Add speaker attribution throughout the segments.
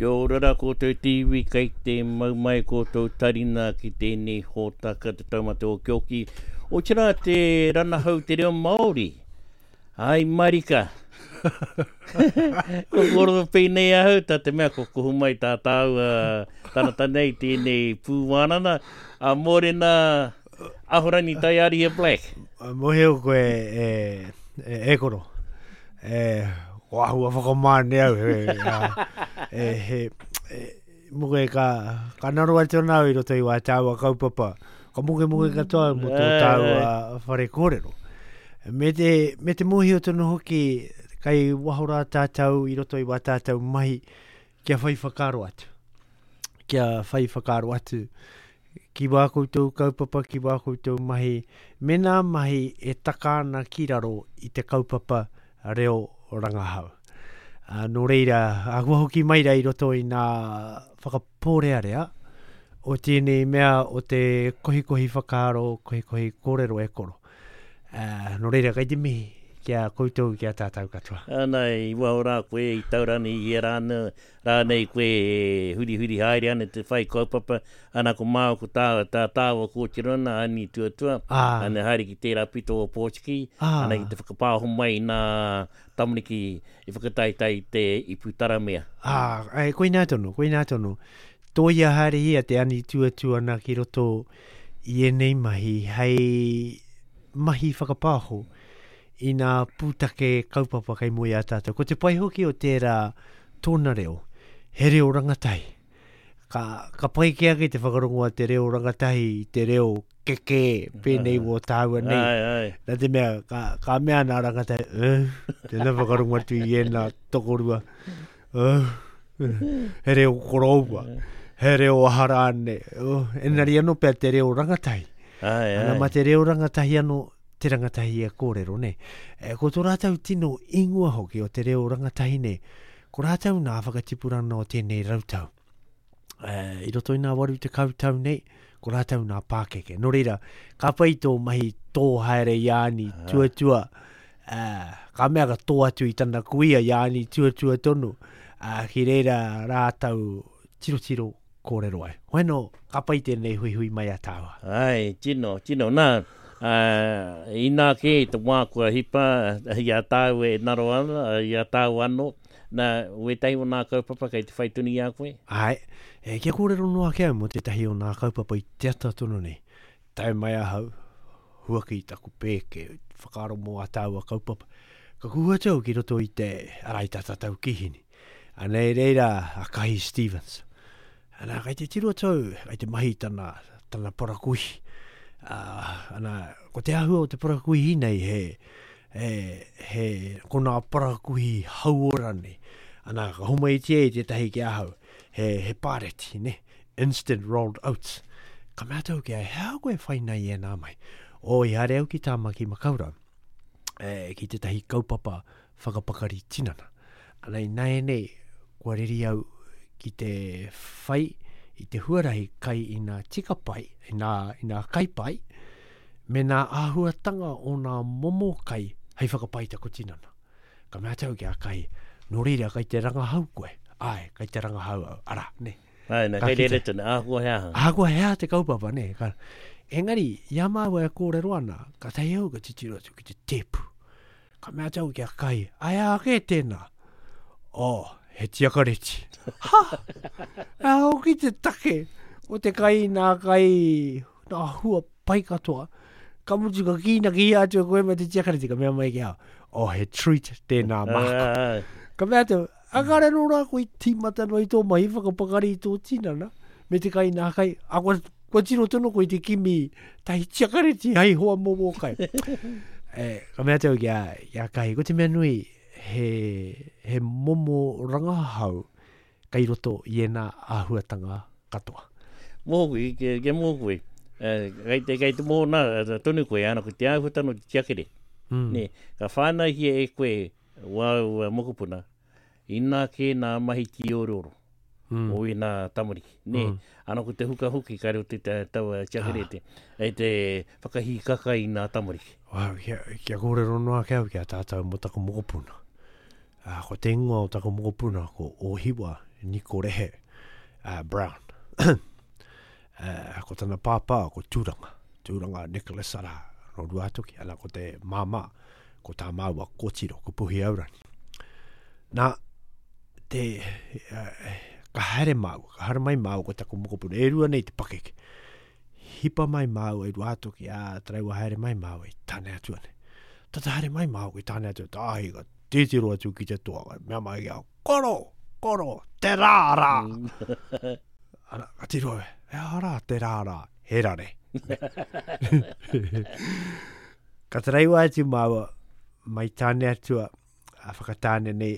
Speaker 1: Kia ora rā koutou te iwi, kei te mau mai koutou tarina ki tēnei hōtaka Te Taumata Okioki, otirā te ranahau te reo Māori. Ai marika! Ko kōrero pēnei ahau, tā te mea ko kuhu mai tā tāua tangata nei tēnei pūwānana, a Mōrena Ahorangi Taiarihia Black.
Speaker 2: Mōhio koe e, e, e koro. E, ko ahua whakamāne au. He, a, e, he, e, muke ka, ka naro atu ana au i roto i wā tāua kaupapa. Ka mokemoke katoa mō tō tāua whare kōrero. Me te, me te mōhio tonu hoki, kai waho rā tātou i roto i wā tātou mahi, kia whai whakaaro atu. Kia whai whakaaro atu ki wā koutou kaupapa, ki wā koutou mahi, me nā mahi e taka ana ki raro i te kaupapa reo rangahau. Uh, nō reira, a kua hoki mai rā i roto i nā whakapōrearea o tēnei mea o te kohikohi whakaaro, kohikohi kōrero e koro. Uh, nō reira, kei te mihi ki a koutou, ki a tātou katoa.
Speaker 1: Ana, i waho rā koe, i taurani, i era ana, rānei koe e hurihuri haere ana te whai kaupapa, ana ko māua ko tā, tā tāua kōtiro ana, ani tuatua, ah. ana haere ki tērā pito o Pōtiki, ah. ana ki te whakapāho mai i nā tamariki i whakataetae i te ipu taramea.
Speaker 2: Ah, e, koinā tonu, koinā tonu. Tōia haerehia te ani tuatua ana ki roto i ēnei mahi hei mahi whakapāho i nā pūtake kaupapa kei mua i a tātou. Ko te pai hoki o tērā tōna reo, he reo rangatahi. Ka, ka pai kē ake te whakarongo a te reo rangatahi i te reo kekē pēnei wō tāua nei.
Speaker 1: Ai, ai.
Speaker 2: Nā te mea, ka, ka mea nā rangatahi, eh, tēnā whakarongo atu i ēnā tokorua. Eh, he reo koroua, he reo aha rānei. Oh, engari anō pea te reo rangatahi.
Speaker 1: Ai, ai.
Speaker 2: Ana, mā te reo rangatahi anō, te rangatahi e kōrero, nē. E, ko tō rātou tino ingoa hoki o te reo rangatahi nei, ko rātou nā whakatipuranga o tēnei rautau. E, I roto i nā 80 tau nei, ko rātou nā pākeke. Nō reira, ka pai tō mahi tō haere i āni tuatua, e, ka mea ka tō atu i tana kuia i āni tuatua tonu, e, ki reira rātou tirotiro kōrero ai. Hoi anō, ka pai tēnei huihui mai a tāua.
Speaker 1: Ai, tino, tino. Nā, ā, inā kē i te wā kua hipa i a tāua e ngaro ana, i a tāua anō, nā, wētahi o nā kaupapa kei te whai tonu i a koe?
Speaker 2: Āe, e, kia kōrero noa ake au mō tētahi o nā kaupapa i te ata tonu nei. Tae mai ahau, huaki i taku pēke, whakaaro mō ā tāua kaupapa. Ka kuhu atu au ki roto i te, arā, i tā tātou kīhini. Anei reira a Kahi Stevens. Ana, kai te tiro atu au, kai te mahi tana, tana parakuihi. Uh, ana, ko te āhua o te parakuihi nei he, he, he, ko nā parakuihi hauora nei. Ana, ka homaitia e tētahi ki ahau, he, he pāreti, ne? Instant rolled oats. Ka mea atu au ki a, he aha koe whai nei i ēnā mai? O, i haere au ki Tāmaki Makaurau, e, ki tētahi kaupapa whakapakari tinana. Ana ināianei, kua reri au ki te whai i te huarahi kai i nā tika pai, i nā, i nā kai pai, me nā āhuatanga o nā momo kai hei whakapai taku tinana. Ka mea atu au ki a Kai, nō reira kai te rangahau koe. Āe, kai te rangahau au, arā, nē.
Speaker 1: Āe, nā, kei reira tonu, ahakoa he aha.
Speaker 2: Ahakoa he aha te kaupapa, nē. Ka, engari, i a māua e kōrero ana, kātahi au ka titiro atu ki te tēpu. Ka mea atu au ki a Kai, ai aha kē tēnā? Oh, he tiakareti. Ha! He aha hoki te take o te kai nā kai, nā hua pai katoa. Ka mutu ka kīnaki atu e koe me te tiakareti, ka mea mai ki a, oh, he treat tēnā māku. Ka mea atu, a kare nō rā koe tīmata noa i tō mahi whakapakari i tō tinana, me te kai nā kai, a kua, kua tiro tonu koe i te kimi tahi tiakareti hei hoa mō wō kai. e, ka mea atu au ki a, ki a Kahi, ko te mea nui, he, he momo rangahau kei roto i ēnā āhuatanga katoa.
Speaker 1: Mōku, kia, kia mō koe, kei te, kei te mōna tonu koe, ana ko te āhuatanga o te tiakere. Mm. Nē, ka whānauhia e koe wāu mokopuna, inā kē nā mahi tīorioro mm. o ēnā tamariki. Nē, mm. ana ko te huka hoki ka reo te taua tiakerete, ah. e te whakahīkaka i nā tamariki.
Speaker 2: Wow, kia, kia kōrero noa ake au ki a tātou mō taku mokopuna. Ā, ko te ingoa o taku mokopuna ko Ōhiwa Nikorehe uh, Brown. uh, ko tana pāpā, ko Tūranga. Tūranga Nicholas arā, no Ruātoki, ana ko te māmā, ko tā māua kōtiro, ko Puhi Aurani. Nā, te, uh, ka haere māua, ka haere mai māua ko taku mokopuna, e rua nei te pakeke. Hipa mai māua i Ruātoki, ā, taraiwa haere mai māua i Tāneatua nei. Tata haere mai māua ki Tāneatua, tāhi ka titiro atu ki te toa, ka mea mai ki a, koro, koro, te rā rā. Ana, ka tiro, he aha rā te rā rā, he rare. ka taraiwa atu māua, mai Tāneatua, a Whakatāne nei,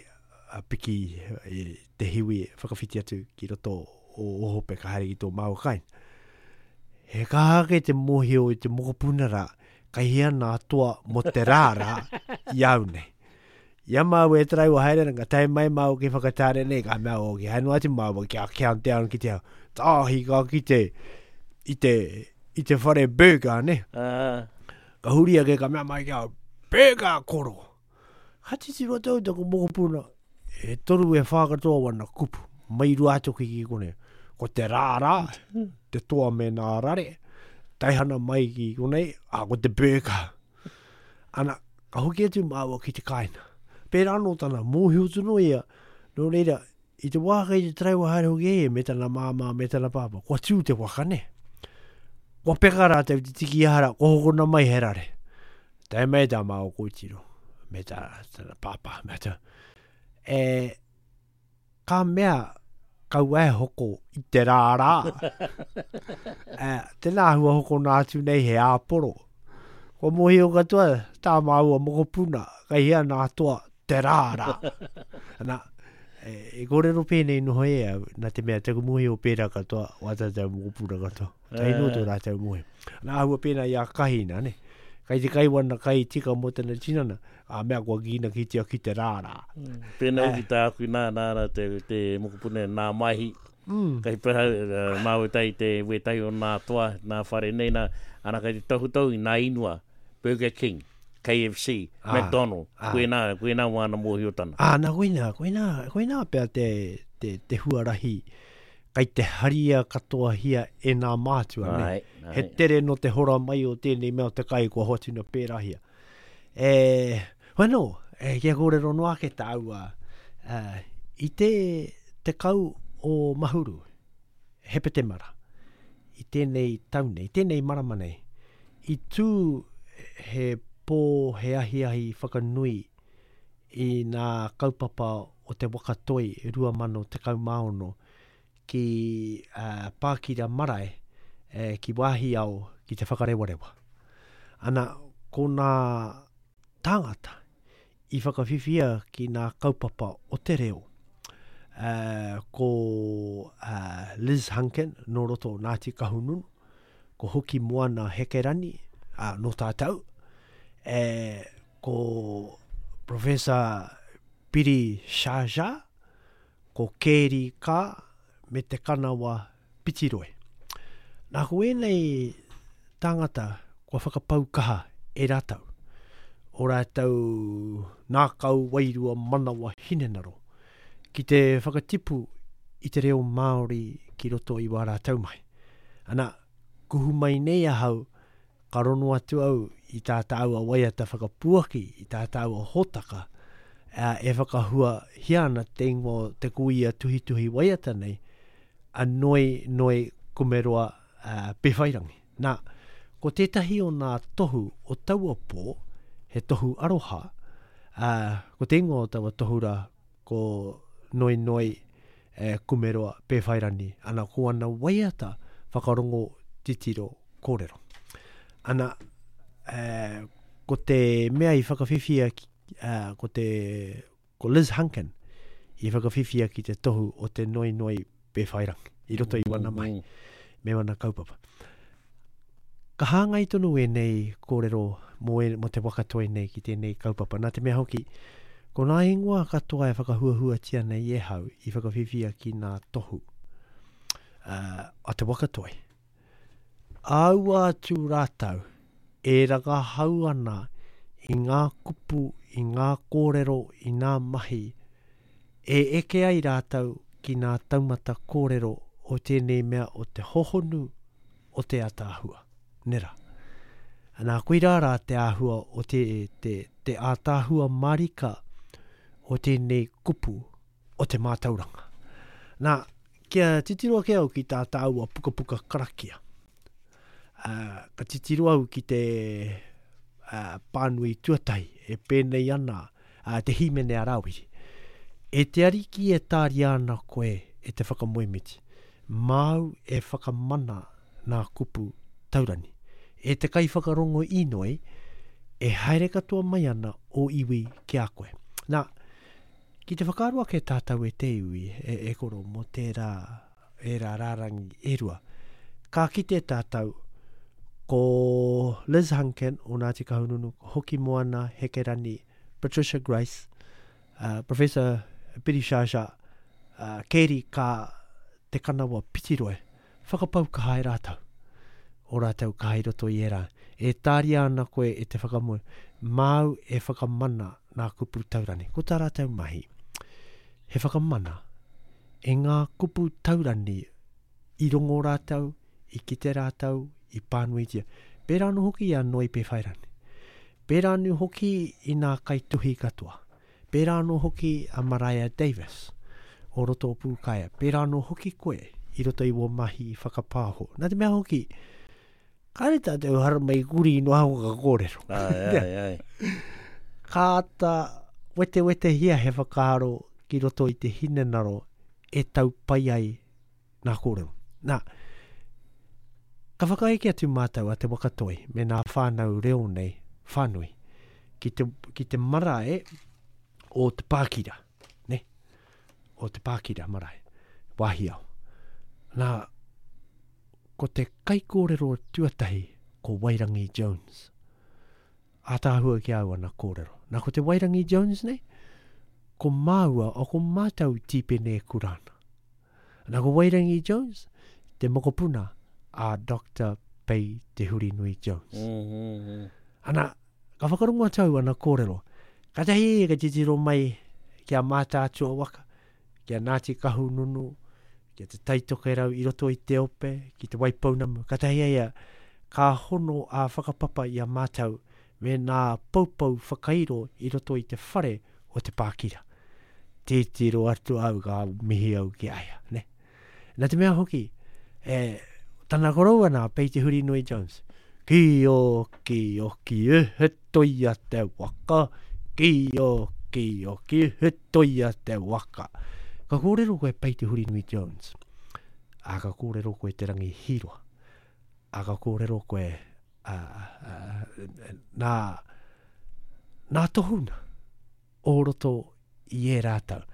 Speaker 2: a piki e, te hiwi whakawhiti atu ki roto o Ohope ka haere ki tō māua kāinga. He kaha ake te mōhio i te mokopuna rā, kai hea nā toa mō te rā rā i au nei. I a māua e taraiwa haere ana, ka tae mai māua ki Whakatāne nei, ka mea, o, ki haere noa atu māua kia countdown ki te tāhi ka kite i te, i te whare burger, ne? Ka huri ake, ka mea mai ki a burger koro. Ka titiro atu au taku mokopuna, e toru e whā katoa wana kupu, mai Ruātoki ki konei. Ko te rārā, te toa me nā rare, taihana mai ki konei, a ko te burger. Ana, ka hoki atu māua ki te kāinga. Pērā anō tana, mōhio tonu ia, nō reira, I te wā kei te taraiwa haere hoki e ia me tana māmā, me tana pāpā, kua tū te waka, nē? Kua peka rātou te tiki aha rā, kua hokona mai he rare. Tae mai tā māua kōtiro, me tā, tana pāpā, me tā. E, ka mea, kaua e hoko i te rārā. e, tēnā hua hokona atu nei he āporo. Kua mōhio katoa tā māua mokopuna, kei hea nā toa te rārā. Ana, e, e kōrero pēnei noho e au, nā te mea taku mōhio pērā katoa, wā tātou mokopuna katoa. Tai no tō rātou mōhio. Ana āhua pēnā i a Kahina, ne? Kai te kai wana kai tika mō tana tinana, a mea kua kīnakitia ki te rārā.
Speaker 1: Mm. Pēnā hoki tāku nā, nā, nā te, te mokopuna nā Maihi. Mm. Kai peha uh, māu tai te wētahi o nā toa, nā whare nei, nā, ana kai te tohutohu i nā inua, Burger King. KFC, ah, McDonald, ah. koinā, koinā wāna mōhiotana.
Speaker 2: Ah, nā, koinā, koinā, koinā pea te, te, te huarahi kai te haria katoahia e nā mātua. Ne? Ai, ai. He tere no te hora mai o tēnei mea o te kai kua hoatuna pērahia. E, wano, e, kia kōrero noa ake tāua, uh, i te tekau o Mahuru, Hepetemara, i tēnei tau nei, tēnei marama nei, i tū he pō, he ahiahi whakanui i nā kaupapa o te Waka Toi 2016 ki Pākira Marae, ki Wāhiao, ki Te Whakarewarewa. Ana, ko nā tāngata i whakawhiwhia ki nā kaupapa o te reo, ko Liz Hunkin nō roto o Ngāti Kahungunu, ko Hoki Moana Hekerani, ā, nō tātou, e, ko Professor Piri Sharjah, ko Kēri Kā me Te Kanawa Pitiroi. Nā, ko ēnei tāngata kua whakapau kaha e rātou, o rātou nākau, wairua, manawa, hinengaro, ki te whakatipu i te reo Māori ki roto i wā rātou mahi. Ana, kuhu mai nei ahau, ka rono atu au i tā tāua waiata whakapuaki, i tā tāua hōtaka, ā, e whakahuahia ana te ingoa o te kuia tuhituhi waiata nei, a Noi Noi Kumeroa ā, Pewhairangi. Nā, ko tētahi o nā tohu o taua pō, he tohu aroha, ā, ko te ingoa o taua tohu rā, ko Noi Noi e Kumeroa Pēwhairangi, ana ko ana waiata whakarongo titiro kōrero. Ana, e, ko te mea i whakawhiwhia, e, ko te, ko Liz Hunkin i whakawhiwhia ki te tohu o te Noi Noi Pēwhairangi, i roto i wana mahi, me wana kaupapa. Ka hāngai tonu ēnei kōrero mō, e, mō te waka toi nei ki tēnei kaupapa. Nā te mea hoki, ko ngā ingoa katoa e whakahuahuatia nei e hau i whakawhiwhia ki ngā tohu uh, a te waka toi. Aua atu rātou e rangahau ana i ngā kupu, i ngā kōrero, i ngā mahi e eke ai rātou. ki nā taumata kōrero o tēnei mea o te hohonu o te ataahua. Nera. Nā, koirā rā te āhua o te, te, te ātaahua mārika o tēnei kupu o te mātauranga. Nā, kia titiro ake au ki tā tāua pukapuka karakia. Uh, ka titiro au ki te uh, pānui tuatahi e pēnei ana uh, te hīmene a Rāwiri. E te Ariki e tāria ana koe e te whakamoemiti, māu e whakamana nā kupu taurani. E te kaiwhakarongo īnoi, e haere katoa mai ana ō iwi ki a koe. Nā, ki te whakaaro ake tātou e te iwi, e, e koro, mō tērā, ērā rārangi e rua, ka kite tātou ko Liz Hunkin o Ngāti Kahungunu, ko Hokimoana Hekerani, Patricia Grace, uh, Professor Piri Sciascia, uh, Keri Ka Te Kanawa Pitiroe, whakapau kaha e rātou, o rātou kaha i roto i ērā. E tāria ana koe e te whakamoe, māu e whakamana nā kupu taurani. Ko tā rātou mahi, he whakamana e ngā kupu taurani i rongo rātou, i kite rātou, i pānuitia. Pērā anō hoki i a Noi Pēwhairangi. Pērā anō hoki i nā kaituhi katoa. Pērā anō hoki a Mariah Davis o roto o Pūkaea. Pērā anō hoki koe i roto i wō mahi whakapāho. Nā te mea hoki, kāre tātou haramai kuri noa aho ka kōrero.
Speaker 1: Ai, ai, ai.
Speaker 2: Ka āta wetewetehia he whakaaro ki roto i te hinengaro e tau pai ai nā kōrero. Nā, ka whakaeke atu mātou a Te Waka Toi me nā whānau reo nei whānui ki te, ki te marae o Te Pākira, ne? O Te Pākira marae, Wāhiao. Nā, ko te kaikōrero tuatahi ko Wairangi Jones. Ātaahua ki a au ana kōrero. Nā, ko te Wairangi Jones nei, ko māua, o ko mātou Tīpene Kurana. Nā ko Wairangi Jones, te mokopuna a Doctor Pei Te Hurinui Jones. Mm -hmm. Ana, ka whakarongo atu au ana kōrero. Katahi ka titiro mai ki a Mātaatua waka, ki a Ngāti Kahungunu, ki a Te Tai Tokerau i roto i te ope, ki Te Waipounamu. Katahi a ia, ka hono a whakapapa i a mātau me nā poupou whakairo i roto i te whare o Te Pākira. Titiro atu au ka mihi au ki a ia, ne? Nā te mea hoki, e, tana koroua nā, Pei Te Hurinui Jones, ki o, ki o, ki e, he toia te waka, ki o, ki o, ki he toia te waka. Ka kōrero koe Pei Te Hurinui Jones, a ka kōrero koe Te Rangi Hīroa, a ka kōrero koe a, a, nā, nā tohuna o roto i ērā tau.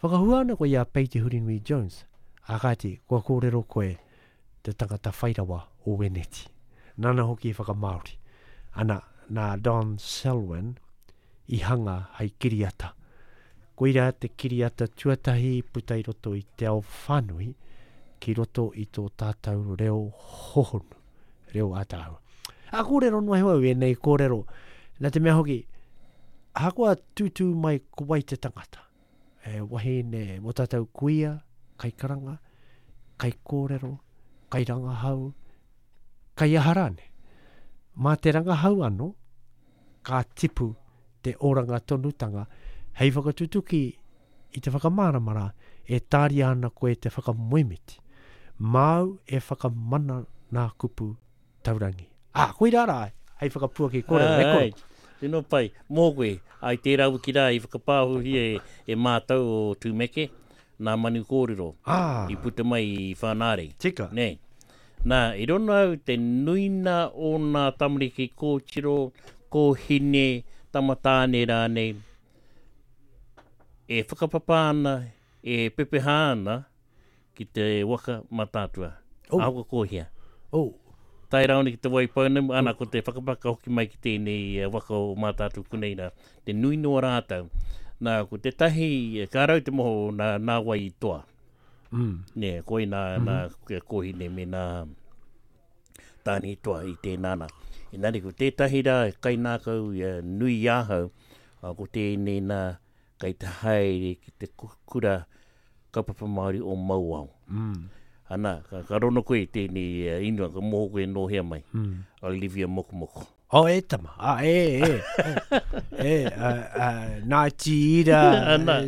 Speaker 2: Whakahua ana koe i a Pei Te Hurinui Jones, ā kāti, kua kōrero koe te tangata whairawa o Weneti. Nāna hoki i whakamāori. Ana, nā Don Selwyn i hanga hei kiriata. Koirā te kiriata tuatahi i puta i roto i te ao whānui ki roto i tō tātou reo hohonu, reo ātaahua. A kōrero noa iho au ēnei kōrero, nā te mea hoki, ahakoa tūtū mai ko wai te tangata, e wahine mō tātou kuia, kaikaranga, kaikōrero, kairangahau, kaiaha rānei. Mā te rangahau anō, ka tipu te oranga tonutanga hei whakatutuki i te whakamārama rā e tāria ana koe te whakamoemiti. Māu e whakamana nā kupu taurangi. Ā, koirā rā hei whakapuaki kōrero, e koro.
Speaker 1: Tino pai. Mō koe, ai tērā wiki rā i whakapāohohia e mātou o Tūmeke, nā Manu Kōrero i puta mai i Whānārei.
Speaker 2: Tika.
Speaker 1: Nē. Nā, i rono au te nuina o nā tamariki kōtiro, kōhine, tama tāne rānei, e whakapapa ana, e pepeha ana ki te waka Mataatua. Oh. Ahakoa ko hea.
Speaker 2: Oh.
Speaker 1: Tae rāone ki te Waipounamu, ana ko te whakapapa ka hoki mai ki tēnei eh, waka o Mātaatua konei rā. Te nui noa rātou. Nā, ko tētahi, eh, ka rau te moho nā, nā wai i toa.
Speaker 2: Mm.
Speaker 1: Nē, koe nā, mm -hmm. nā kōhine me nā tāne i toa i tēnā nā. Engari ko tētahi rā, kainākau eh, nui i ahau, ko tēnei nā, kei te haere ki te kura. Kaupapa Māori o Mauao. Mm. Ana, ka, ka rono koe i tēnei uh, ingoa, ka moho koe nō hea mai. Mm. Olivia Mokomoko.
Speaker 2: Oh, e tama. Ah, e, e. e, uh, uh, nā tīra,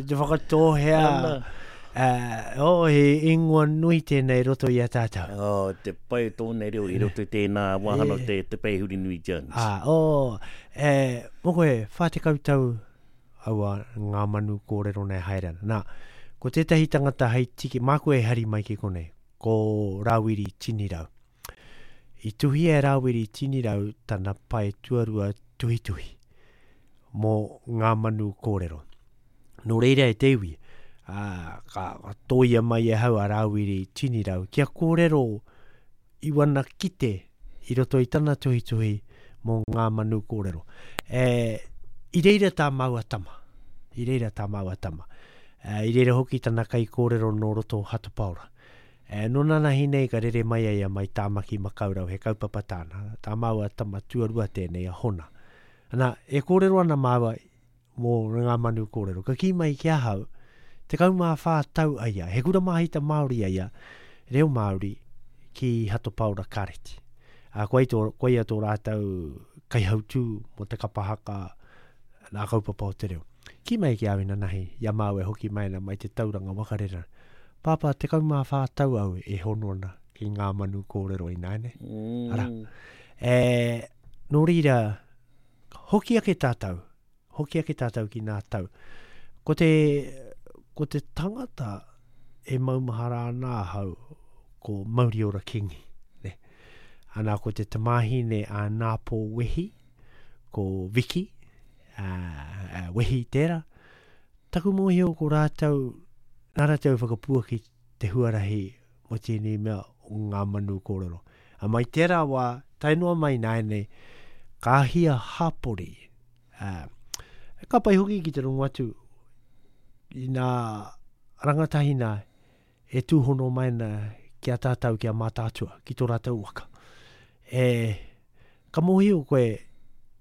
Speaker 2: te whakatōhea. Ana. Uh, oh, he ingoa nui tēnei roto i a tātou.
Speaker 1: Oh, te pai o tōna reo i roto i tēnā wāhanga o te, te Pei Hurinui Jones.
Speaker 2: Ah, oh, e, mō koe, 40 tau aua ngā manu kōrero nei haere ana. Nā, ko tētahi tangata hei tiki, māku e hari mai ki konei, ko Rāwiri Tinirau. I tuhia e Rāwiri Tinirau tana pae tuarua tuhituhi mō ngā manu kōrero. Nō reira e te iwi, ā, ka tōia mai e hau a Rāwiri Tinirau kia kōrero i wana kite i roto i tana tuhituhi mō ngā manu kōrero. E, i reira tā māua tama. I reira tā māua tama. E, I reira hoki tana kaikōrero nō roto o Hato Paora. E, nō nanahi nei ka rere mai a ia mai Tāmaki Makaurau, he kaupapa tāna. Tā māua tama tuarua tēnei a Hona. Ana, e kōrero ana māua mō ngā manu kōrero. Ka kī mai ki ahau, 14 tau a ia, he kura māhita Māori a ia, reo Māori, ki Hato Paora Kāreti. Ā, koia tō, koia tō rātou kaihautū mō te kapa haka nā kaupapa o te reo. Kī mai ki au inanahi, i a māua e hoki mai ana mai te tauranga wakarera. Pāpā, 14 tau au e hono ana ki ngā manu kōrero ināianei. Mm. Ara. E, nō reira, hoki ake tātou, hoki ake tātou ki nā tau. Ko te, ko te tangata e maumahara ana ahau, ko Mauriora Kingi. Ne? Ana ko te tamāhine a Nāpō Wehi, ko Vicky, a, a Wehi tērā. Taku mōhio ko rātou, nā rātou whakapuaki te huarahi mō tēnei mea o ngā manu kōrero. A mai tērā wā, tae noa mai nāianei, ka hia hapori. Uh, ka pai hoki ki te rongo atu i nā rangatahi nā e tūhono mai ana ki a tātou, ki a Mātaatua, ki tō rātou waka. E, ka mōhio koe,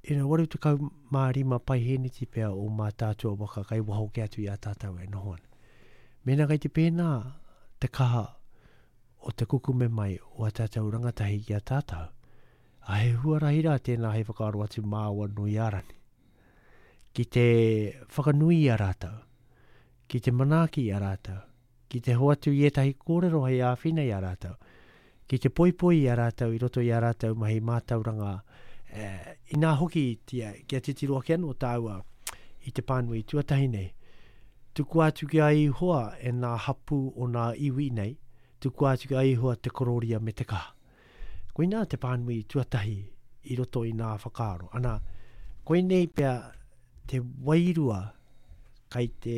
Speaker 2: you know, 85 paihēneti pea o Mātaatua waka kai waho ke atu i a tātou e noho ana. Mēnā kei te pēnā te kaha o te kukume mai o a tātou rangatahi ki a tātou, a he huarahi rā tēnā hei whakaaro atu māua Nui-ā-Rangi. Ki te whakanui i a rātou, ki te manaaki i a rātou, ki te hoatu i ētahi kōrero hei āwhina i a rātou, ki te poipoi i a rātou i roto i ā rātou mahi mātauranga, e, inā hoki tia, kia titiro ake anō tāua i te pānui tuatahi nei. Tukua atu ki a Ihoa e nā hapū o nā iwi nei, tukua atu ki a Ihoa te kororia me te kaha. Koinā te pānui tuatahi i roto i nā whakaaro. Ana, koinei pea te wairua kai te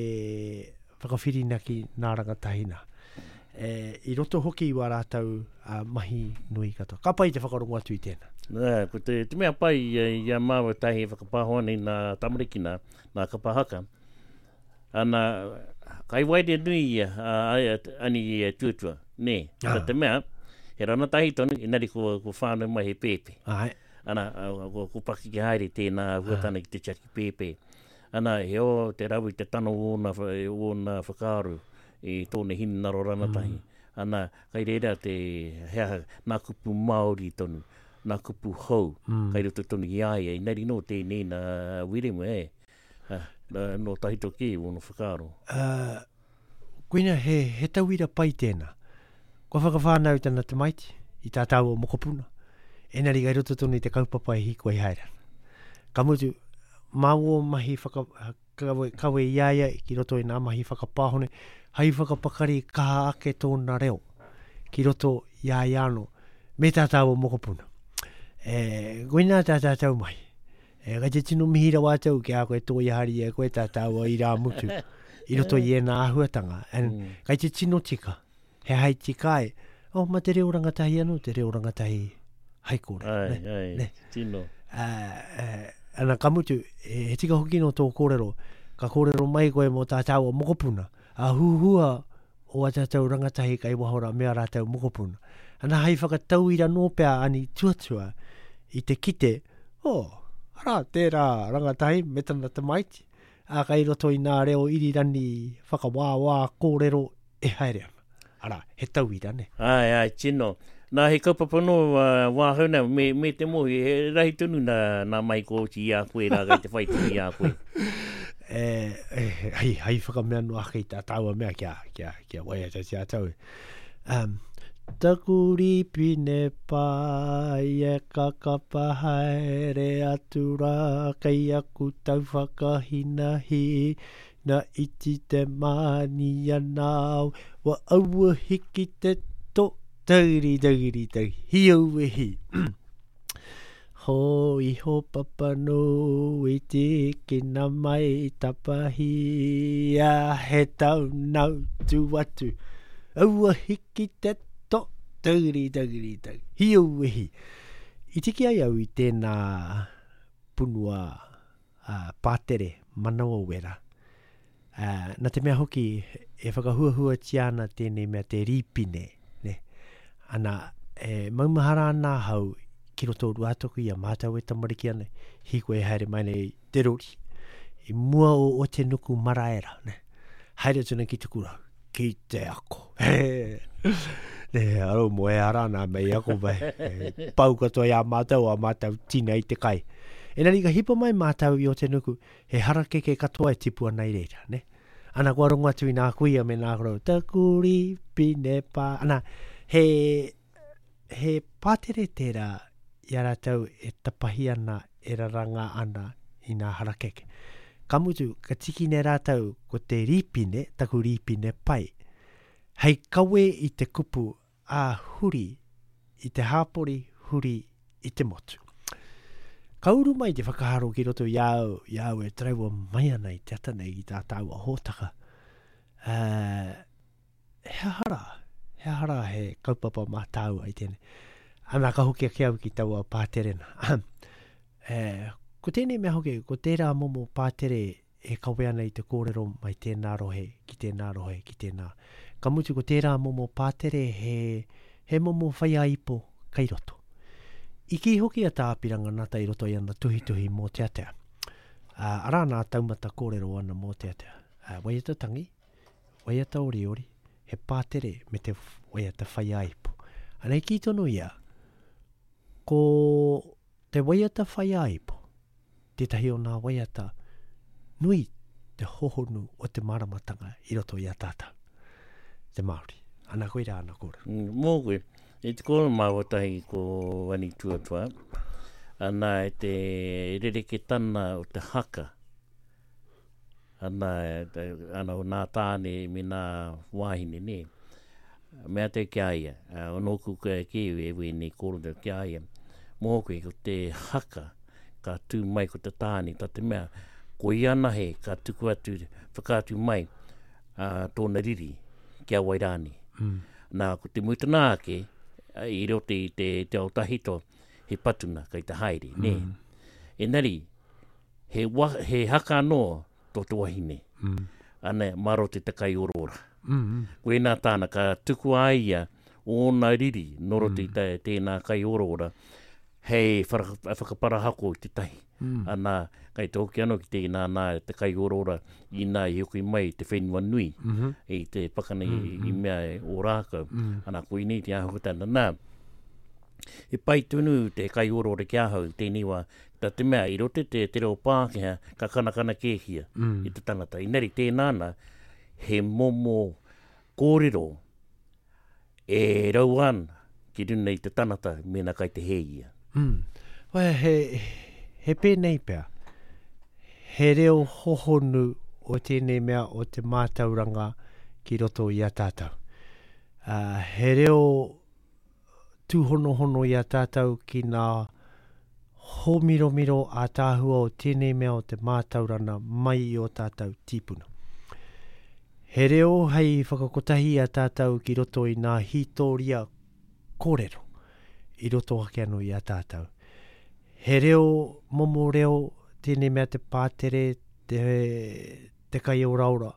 Speaker 2: whakawhirinaki nā rangatahi nā. E, I roto hoki i wā rātou a, mahi nui katoa. Ka pai te whakarongo atu i tēnā.
Speaker 1: Nā, ko te, te mea pai i, i a māua tahi e whakapāho ana i nā tamariki nā, nā kapa haka, ana, kai waerea nui ia, a, a, ani i a tuatua, nē. Ah. Ka te mea, he ranatahi tonu, engari ko, ko whānau mai he pēpi.
Speaker 2: Ai.
Speaker 1: Ana, ko, ko pakeke haere tēnā huatana ki te tiaki pēpē. Ana, he o te rawe te tano o ōna, ōna whakaaro i tōna hinengaro ranatahi. Mm. Ana, kai reira te, he aha, nā kupu Māori tonu, nā kupu hou, mm. kai roto tonu i a ia, inari nō tēnei nā Wiremu, e. Nō tahito kē ōna whakaaro.
Speaker 2: Uh, koina he, he tauira pai tēnā. Kua whakawhānau tana tamaiti i tā tāua mokopuna, enari kai roto tonu i te kaupapa e hīkoi haere ana. Ka mutu, mā wō mahi whaka, kawe, kawe i a ia ki roto i nā mahi whakapāhone, hai whakapakari kaha ake tōna reo ki roto i a ia anō, me tā tāua mokopuna. E, koinā tā tātou mahi. E, kei te tino mihi rawa atu au ki a koe tō hari e koe tā tāua i rā mutu i roto i ēnā āhuatanga. And mm. kei te tino tika, he hai tika ai, oh, ma te reo rangatahi anō, te reo rangatahi hai kore.
Speaker 1: Ai, ne? ai, ne? tino.
Speaker 2: Uh, uh, ana ka mutu, he tika hoki no tō kōrero, ka kōrero mai koe mō tā tāua mokopuna, a huhua o a tātou rangatahi kai waho rā me a rātou mokopuna. Ana hai whakatauira nō pea ani tuatua i te kite, oh, arā tērā rangatahi me tana tamaiti, ā, kai roto i nā reo irirani whakawāwā kōrero e haere ana. Arā, he tauira, nē?
Speaker 1: Āe, āe, tino. Nā, he kaupapa nō wāhau nei, me, me te mōhio, he rahi tonu nā, nā mahi kua oti i a koe rā, kei te whai tonu i a koe.
Speaker 2: E, e, hei, hei whakamea noa ake i tā tāua mea kia, kia, kia waiatatia atu au. Um, taku rīpine pai e kakapa haere atu rā kei aku tau whakahinahi Na iti te mānia nāu, wa aua hiki te to, tauri tauri tau, hi au e hi. Ho iho papanui tīkina mai tapahia he tau nau tu atu. Aua hiki te to, tauri tauri tau, hi au e hi. I tiki ai au i tēnā punua ā, pātere manawa wera. Ā, nā te mea hoki e whakahuahuatia ana tēnei mea te rīpine, nē. Ana, e maumahara ana ahau ki roto o Ruātoki i a mātou e tamariki ana, hīkoi haere mai nei te rori, i mua o Otenuku marae rā, nē. Haere atu nei ki te kura, ki te ako. Nē, aro mo e ara nā mei ako mai. Pau katoa i a mātou, a mātou tina i te kai. Engari ka hipa mai mātou i Otenuku, he harakeke katoa e tipu ana i reira, ne? Ana, kua rongo atu i nā kuia me nā koro, taku rīpine pā. Ana, he, he pātere tērā i a rātou e tapahi ana, e raranga ana i nā harakeke. Ka mutu, ka tikina e rātou ko te rīpine, taku rīpine pai, hei kawe i te kupu ā huri i te hāpori, huri i te motu. Ka uru mai te whakaaro ki roto i a au, i a au e tarewa mai ana i te ata nei ki tā tāua hōtaka. Uh, he aha rā? He aha rā he kaupapa mā tāua i tēnei? Ana, ka hoki ake au ki taua pātere nā. e, ko tēnei mea hoki, ko tērā momo pātere e kawe ana i te kōrero mai tēnā rohe, ki tēnā rohe, ki tēnā. Ka mutu ko tērā momo pātere he, he momo whaiāipo kei roto. I kī hoki a Tā Apiranga Ngata i roto i ana tuhituhi mōteatea. Ā, arā nā taumata kōrero ana mōteatea. Ā, waiata tangi, waiata oriori, he pātere me te waiata whaiāipo. Ana i kī tonu ia, ko te waiata whaiāipo tētahi o nā waiata nui te hohonu o te māramatanga i roto i a tātou, te Māori. Ana koirā ana kōrero.
Speaker 1: Mm, mōku, i te kōrero māua tahi ko Ani Tuatua, ana e te rereketana o te haka, Ana, ana o nā tāne me nā wāhine, nē. Mea te ki a ia, o nōku ki e wēnei kōrero ki a ia, mōku ko te haka ka tū mai ko te tāne, tā te mea, ko ia anahe ka tuku atu, whakaatu mai uh, tōna riri ki a wai rānei. Mm. Nā, ko te mutuna ake, i roto i te, te ao tahito, he patuna kei te haere, nē. Mm. Engari, He, wa, he haka anō tō te wahine. Mm. Ana, mā roto i te kaioroora. Mm -hmm. Koinā tāna, ka tukua ai ia ōna riri nō roto mm. i te, tēnā kaioroora hei whakaparahako i te tahi. Mm. Ana, kai te hoki anō ki tēnā nā te kaioroora inā i hoki mai i te whenua nui, mm -hmm. i te pakana mm -hmm. i mea e Ōrākau. Mm. Ana, koinei te āhuatanga. Nā, he pai tonu te kaioroora ki ahau i tēnei wā, Tā te mea, i roto i te, te reo Pākehā, ka kanakana kēhia mm. i te tangata. Inari, tēnā ana, he momo kōrero e rau ana ki runa i te tangata mēnā kai te hē ia.
Speaker 2: Mm. Well, he, he pēnei pea. He reo hohonu o tēnei mea o te mātauranga ki roto i a tātou. Uh, he reo tūhonohono i a tātou ki nā hōmiromiro ātaahua o tēnei mea o te mātaurana mai i ō tātou tīpuna. He reo hei whakakotahi i a tātou ki roto i nā hītōria kōrero i roto ake anō i a tātou. He reo, momo reo, tēnei mea te pātere, te, te kaioraora,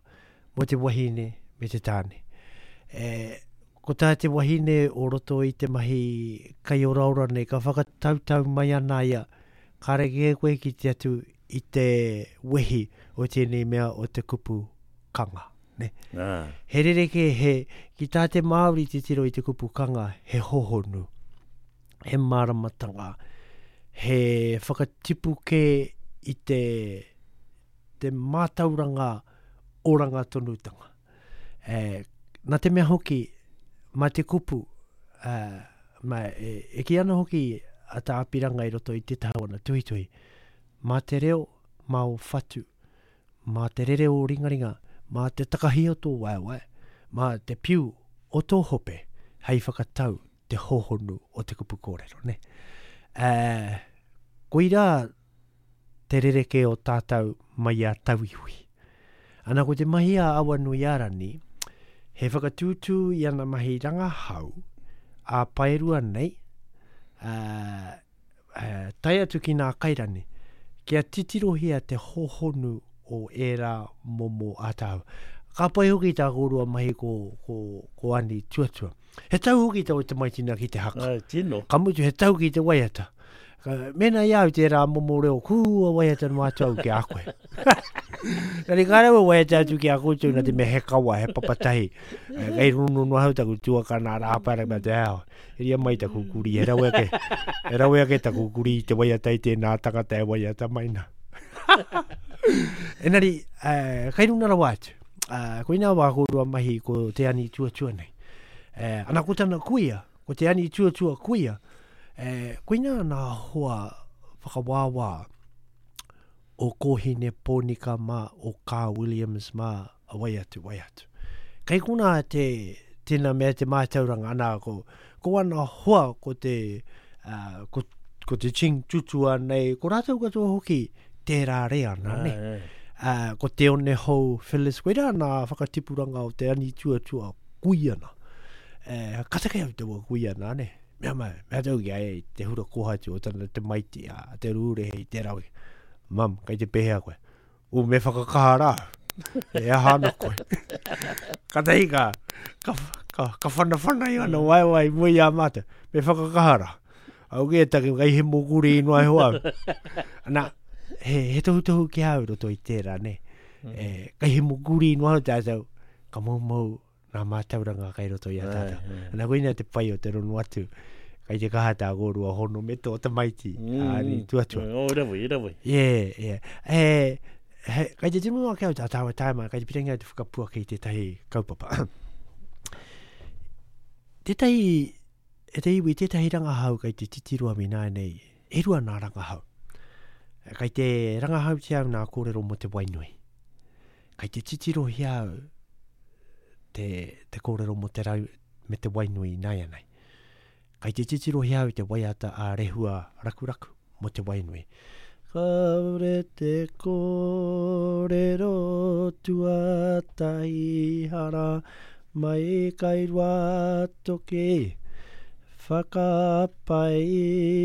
Speaker 2: mō te wahine me te tāne. E, ko tā te wahine o roto i te mahi kaioraora nei, ka whakatautau mai ana ia, kāre kē koe ki te atu i te wehi o tēnei mea o te kupu kanga. Ne? Ah. He rerekē, he, ki tā te Māori titiro i te kupu kanga, he hohonu, he māramatanga, he whakatipu kē i te, te mātauranga oranga tonutanga. E, nā te mea hoki, mā te kupu, e, mā, e, e kī ana hoki a Tā Apiranga i roto i te taha o ana tuhituhi, mā te reo, mā o whatu, mā te rere o ringaringa, mā te takahi o tō waewae, mā te piu o tō hope hei whakatau te hōhonu o te kupu kōrero, nē. Ā, koirā te rerekē o tātou mai i a tauiwi. Ana ko te mahi a Awanuiārani, he whakatūtū i ana mahi rangahau ā-paerua nei, ā, tae atu ki nā kairani, kia titirohia te hōhonu o ērā momo ātaahua. Ka pai hoki tā kōrua mahi ko, ko, ko Ani Tuatua. He tau hoki tau tamaiti nā ki te haka.
Speaker 1: Ai, tino.
Speaker 2: Ka mutu, he tau ki te waiata. Ka, mēnā i a au tērā momo reo, kua waiata noa atu au ki a koe. Engari ka rawe waiata atu ki a koutou nā te mea he kawa, he papatahi. Kei rono noa hau taku tuakana rāpara me te ao. Heria mai taku kuri, he rawe ake, he rawe ake taku kuri i te waiata i tēnā tangata e waiata mai nā. Engari, eh, kai runa rawa atu. Uh, koinā wā kōrua mahi ko Te Ani Tuatua nei. Eh, ana ko tana kuia, ko Te Ani Tuatua kuia, eh, koinā nā hoa whakawāwā o Kōhine Pōnika mā, o Kaa Williams mā, a wai atu, wai atu. Kei konā te, tēnā mea te mātauranga, ana, ko, ko ana hoa, ko te, uh, ko, ko te Ching Tutua nei, ko rātou katoa hoki tērā reana, ne? Uh, ko Te One Hou Phyllis, koirā nā whakatipuranga o te ani tuatua kuiana. Uh, ka take au taua kuiana, ne? Mea mai, mea tau ki a ia i te hura kōhatu o tana tamaiti a Te Rūrehe i tērā wiki. Mum, kei te pēhea koe? U, me whakakaha rā. E aha ana koe. Katahi ka, ka, ka, ka whanawhana i ana waewae i mua i a mātou. Me whakakaha rā. Au ki e take, kei he mōkuri i noa iho au. Ana, he, he tohutohu ki a au roto i tērā, ne? E, kei he mōkuri i noa iho tātou, ka moumou ngā mātauranga kei roto i a tātou. Ana koina te pai o te rono atu, kei te kaha tā kōrua hono me tō tamaiti, mm. ā, tuatua.
Speaker 1: Oh, rawe, rawe.
Speaker 2: Yeah, yeah. E, he, kei te tino ake au tā tāua tāima, kei te pirangi au te whakapuaki i tētahi kaupapa. tētahi, e te iwi, tētahi rangahau kei te titiro au ināianei, e rua nā rangahau. Kei te rangahautia au nā kōrero mō te wainui. Kei te titirohia au te, te kōrero mō te rau me te wainui ināianei. Kei te titirohia au te waiata a Rehua Rakuraku mō te wainui. Kāore te kōrero tuatahi hara mai kai Ruatoki Whakapai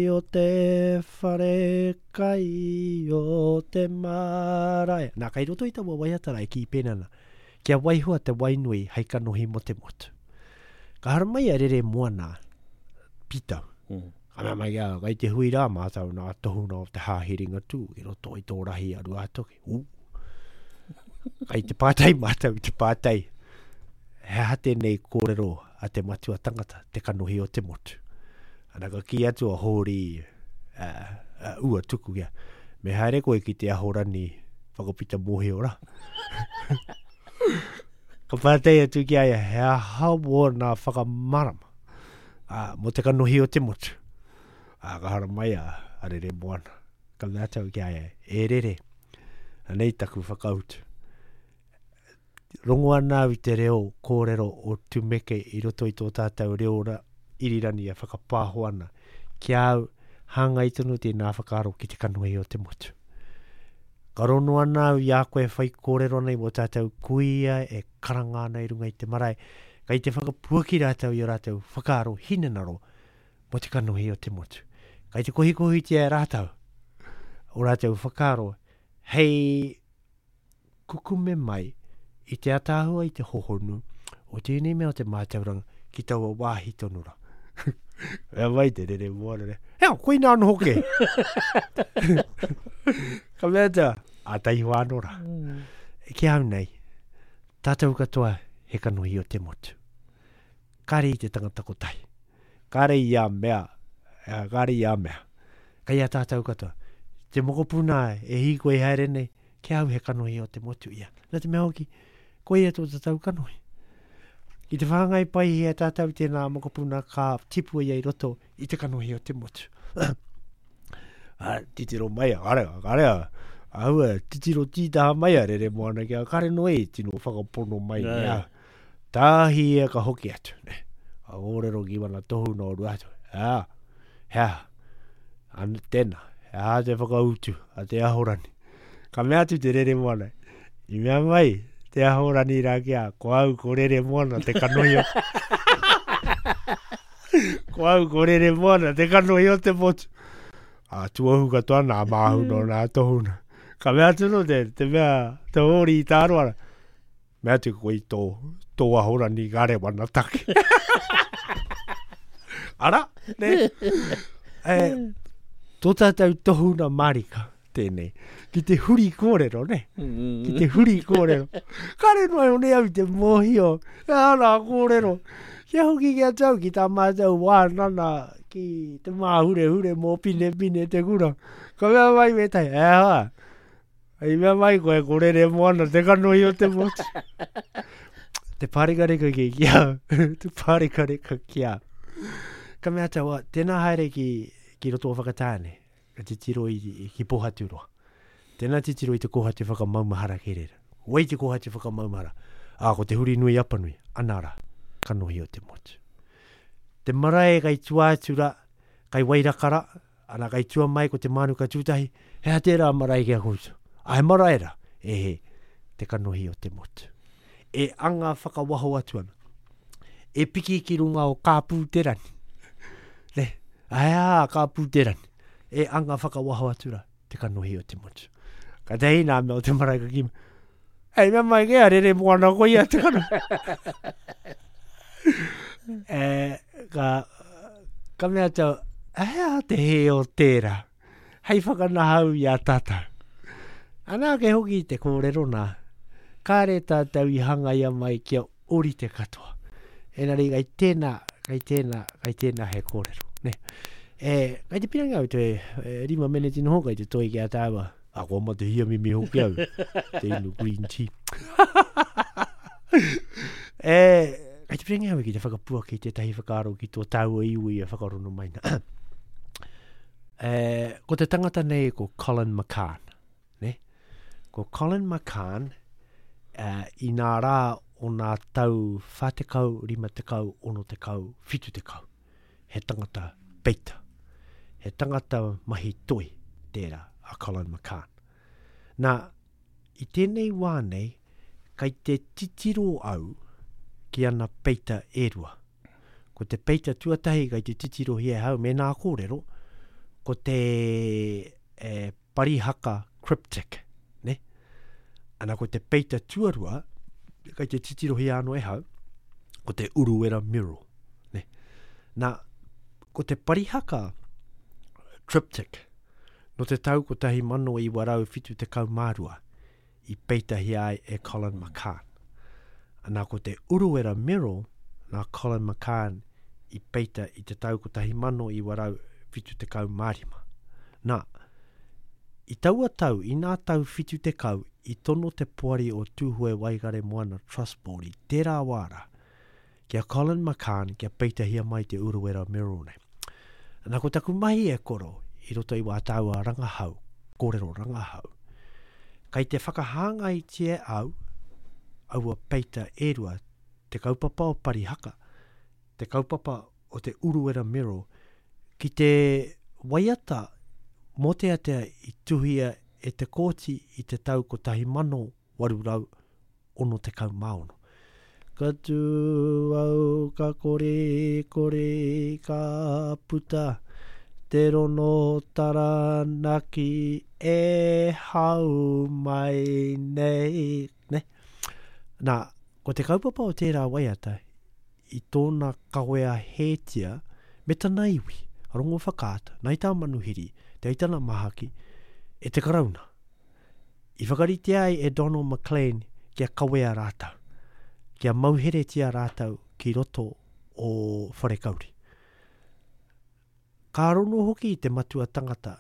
Speaker 2: o te whare kai o te marae. Nā, kei roto i taua waiata rā e kī pēnā ana, kia waihoa te wainui hei kanohi mō te motu. Ka haramai a Rere Moana, Pita, mm. ka mea mai a, kei te hui rā mātou nā tohunga o te Hāhi Ringatū i roto i tō rahi a Ruātoki. Ū. Kei te pātai mātou, te pātai, he aha tēnei kōrero a te matua tangata, te kanohi o te motu. Ana ka kī atu a Hōri uh, uh, ua tuku kia, me haere koe ki te ahorani whakapita mōhio rā. ka pātai atu ki a ia, he aha wōna whakamarama uh, mō te kanohi o te motu. Uh, ka haramai a, a Rere Moana. Ka mea atu ki a ia, e Rere, anei taku whakautu. Rongo ana au i te reo kōrero o Tumeke i roto i tō tātou reo irirangi e whakapāho ana. Ki a au, hāngai tonu tēnā whakaaro ki te kanohi o te motu. Ka rono ana au i a koe e whaikōrero ana i wō tātou kuia e karanga ana i runga i te marae, kei te whakapuaki rātou i ō rātou whakaaro hinengaro mō te kanohi o te motu. Kei te kohikohitia e rātou ō rātou whakaaro hei kukume mai i te ataahua i te hohonu o tēnei mea o te mātauranga ki taua wāhi tonu rā. Mea mai te rere moana re. Hea, koina anō hoki. Ka mea atu, a taihoa anō rā. Mm. Ki au nei, Tātou katoa he kanohi o te motu. Kāre i te tangata kotahi. Kāre i a mea, kāre i a mea. Kei a tātou katoa. Te mokopuna e hīkoi haere nei, ki a au he kanohi o te motu ia. Nā te mea hoki, koia tō tātou kanohi. Ki te whāngai paihia tātou tēnā mokopuna ka tipu ia i roto i te kanohi o te motu. A, titiro mai a, kare, kare a, ahua, titiro tītaha mai a rere moana ki a kare no e tino whakapono mai yeah. ni a. Tāhi ia ka hoki atu, ne. Ka kōrero ki wana tohu no ru atu. A, hea, an, tēnā, he aha te whakautu a te ahorani. Ka mea atu te rere moana, i mea mai te ahorani rā ki a, ko au ko rere moana te kanohi o... ko au ko rere moana te kanohi o te motu. A tuohu katoa nā māhu no nā tohuna. Ka mea atu no te, te mea, te hōri i tāroara. Mea atu koe i tō, tō ahorani ka rewana take. Ara, ne? E, tō tātou tohuna marika tēnei. Ki te huri kōrero, ne? Ki te huri kōrero. Kare noa iho nei au i te mōhio. E ana kōrero. Kia hoki ki a tau ki tā mātou wānana ki te māhurehure mō Pinepine te kura. Ka mea mai wētahi, e hoa, I mea mai koe, ko rere moana te kanohi o te motu. te pārekareka ki ki au. te pārekareka ki au. Ka mea atu, tēnā haere ki, ki roto o Whakatāne, ka titiro i, i ki Pōhaturoa. Tēnā titiro i te kōhatu whakamaumahara ki reira. Wai te kōhatu whakamaumahara? Ā, ko te Hurinui Apanui, ana rā, kanohi o te motu. Te marae kai tua atu rā, kai Wairakara, Ana kai tua mai ko te mānuka tūtahi, he aha tērā marae ki a koutou? A he marae rā? E he, te kanohi o te motu. E anga whakawaho atu ana. E piki ki runga o Kāpū-te-rangi. Ne? A he aha a Kāpū-te-rangi? E anga whakawaho atu rā, te kanohi o te motu. Ka tahi nā mea o te marae ka kī, Hei mea mai kē a rere moana ko ia te kanohi. e, ka, ka mea atu, he aha te hē o tērā? Hei whakanahau i a tātou. Ana ake hoki te kōrero nā, kāre tātou i hangaia mai kia orite katoa. Engari kai tēnā, kai tēnā, kai tēnā he kōrero. Ne? E, kai te pirangi au te e, rima meneti noho kai te toi ki a tāua. A kua mate hia mimi hoki au, te inu green tea. e, kai te pirangi au ki te whakapuaki tētahi whakaaro ki tō tāua iwi e whakarono mai na. e, ko te tangata nei ko Colin McCahon. Ne? Ko Colin McCahon, uh, i nā rā o nā tau 40, 50, 60, 70. He tangata peita. He tangata mahi toi tērā a Colin McCahon. Nā, i tēnei wā nei, kai te titiro au ki ana peita e rua. Ko te peita tuatahi kai te titirohia e hau me nā kōrero, ko te e, Parihaka Cryptic, ne? Ana ko te peita tuarua, kai te titirohia anō e hau, ko te Uruwera Mural, ne? Nā, ko te Parihaka Triptych, no te tau 1972, i peitahia ai e Colin McCahon. Ana ko te Uruwera Mural nā Colin McCahon i peita i te tau 1975. Nā, i taua tau, i nā tau 70, i tono te poari o Tūhoe Waikaremoana Trust Board i tērā wā rā, ki a Colin McCahon kia peitahia mai te Uruwera Mural nei. Nā, ko taku mahi e koro i roto i wā tāua rangahau, kōrero rangahau, kai te whakahāngaitia au aua peita e rua, te kaupapa o Parihaka, te kaupapa o te Uruwera Mural, ki te waiata mōteatea i tuhia e Te Kooti i te tau 1866. Ka tū au ka korikori ka puta te rono Taranaki e hau mai nei. Ne? Nā, ko te kaupapa o tērā waiata i tōna kawea hētia me tana iwi, a Rongowhakaata, Ngāi Tāmanuhiri, Te Aitana Mahaki, e te Karauna. I whakaritea ai e Donald McLean kia kawea rātou. kia mauheretia rātou ki roto o Wharekauri. Ka rono hoki te matua tangata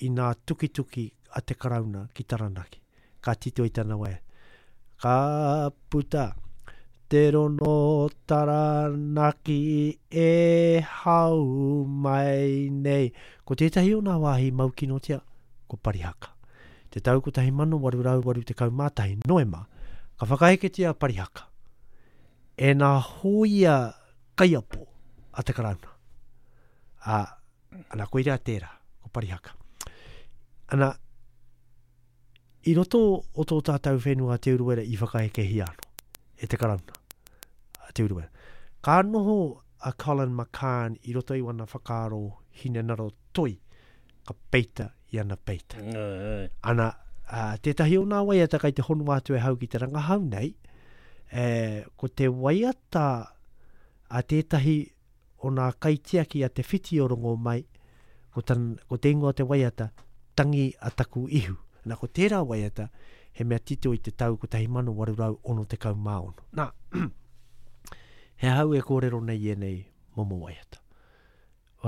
Speaker 2: i nā tukituki a te Karauna ki Taranaki, ka tito i tana waiata, Ka puta te rono Taranaki e hau mai nei. Ko tētahi o nā wāhi maukinotia, ko Parihaka. Te tau 1881, Noema, ka whakaeketia a Parihaka e nā hōia kaiapo a te Karauna. Ā, ana, koirā tērā, ko Parihaka. Ana, i roto o tō tātou whenua Te Urewera i whakaekehia anō e te Karauna, a Te Urewera. Ka noho a Colin McCahon i roto i wana whakaaro hinengaro toi, ka peita i ana peita. Ana, ā, tētahi o nā waiata kai te hono atu e hau ki te rangahau nei, e, ko te waiata a tētahi o nā kaitiaki a Te Whiti o Rongomai, ko, tan, ko te ingoa o te waiata, Tangi a Taku Ihu. Nā, ko tērā waiata, he mea tito i te tau 1866. Nā, he ahau e kōrero nei i ēnei momo waiata.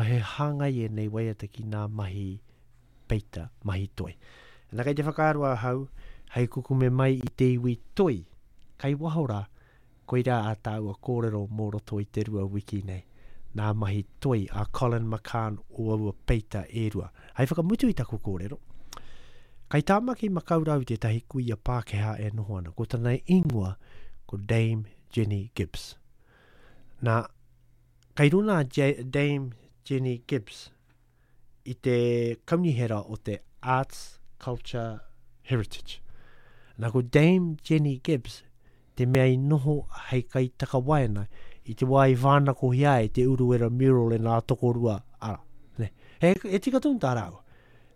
Speaker 2: He hāngai ēnei waiata ki nā mahi peita, mahi toi. Nā kei te whakaaro ahau, hei kukume mai i te iwi toi, kai waho rā, koirā ā tāua kōrero mō roto i te rua wiki nei, nā mahi toi a Colin McCahon o aua peita e rua. Hei whakamutu i taku kōrero, kai Tāmaki Makaurau tētahi kuia Pākehā e noho ana, ko tana ingoa ko Dame Jenny Gibbs. Nā, Kei runa a Dame Jenny Gibbs i te kaunihera o te Arts, Culture, Heritage. Nā ko Dame Jenny Gibbs te mea i noho hei kaitakawaenga i te wā i whānakohia ai te Uruwera Mural e nā tokorua ara. Ne? He, he tika tonu tā rāua.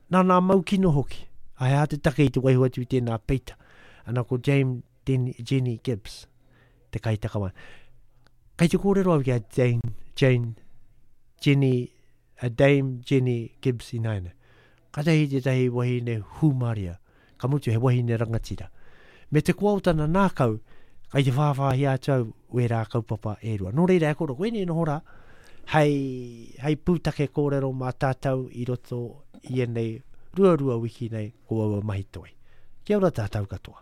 Speaker 2: Nā nā mau kino hoki. A he aha te take i te waiho atu i tēnā peita. Ana ko Dame Jenny Gibbs te kaitakawaenga. Kei te kōrero au ki a Jane, Jane, Jenny, a Dame Jenny Gibbs ināianei. Katahi tētahi wahine hūmāria, ka mutu he wahine rangatira. Me te koa o tana nākau, kai te whāwhāhia atu au wērā kaupapa e rua. Nō reira e koro, koinei noho rā, hei, hei pūtake kōrero mā tātou i roto i ēnei ruarua wiki nei ko aua mahi toi. Kia ora tātou katoa.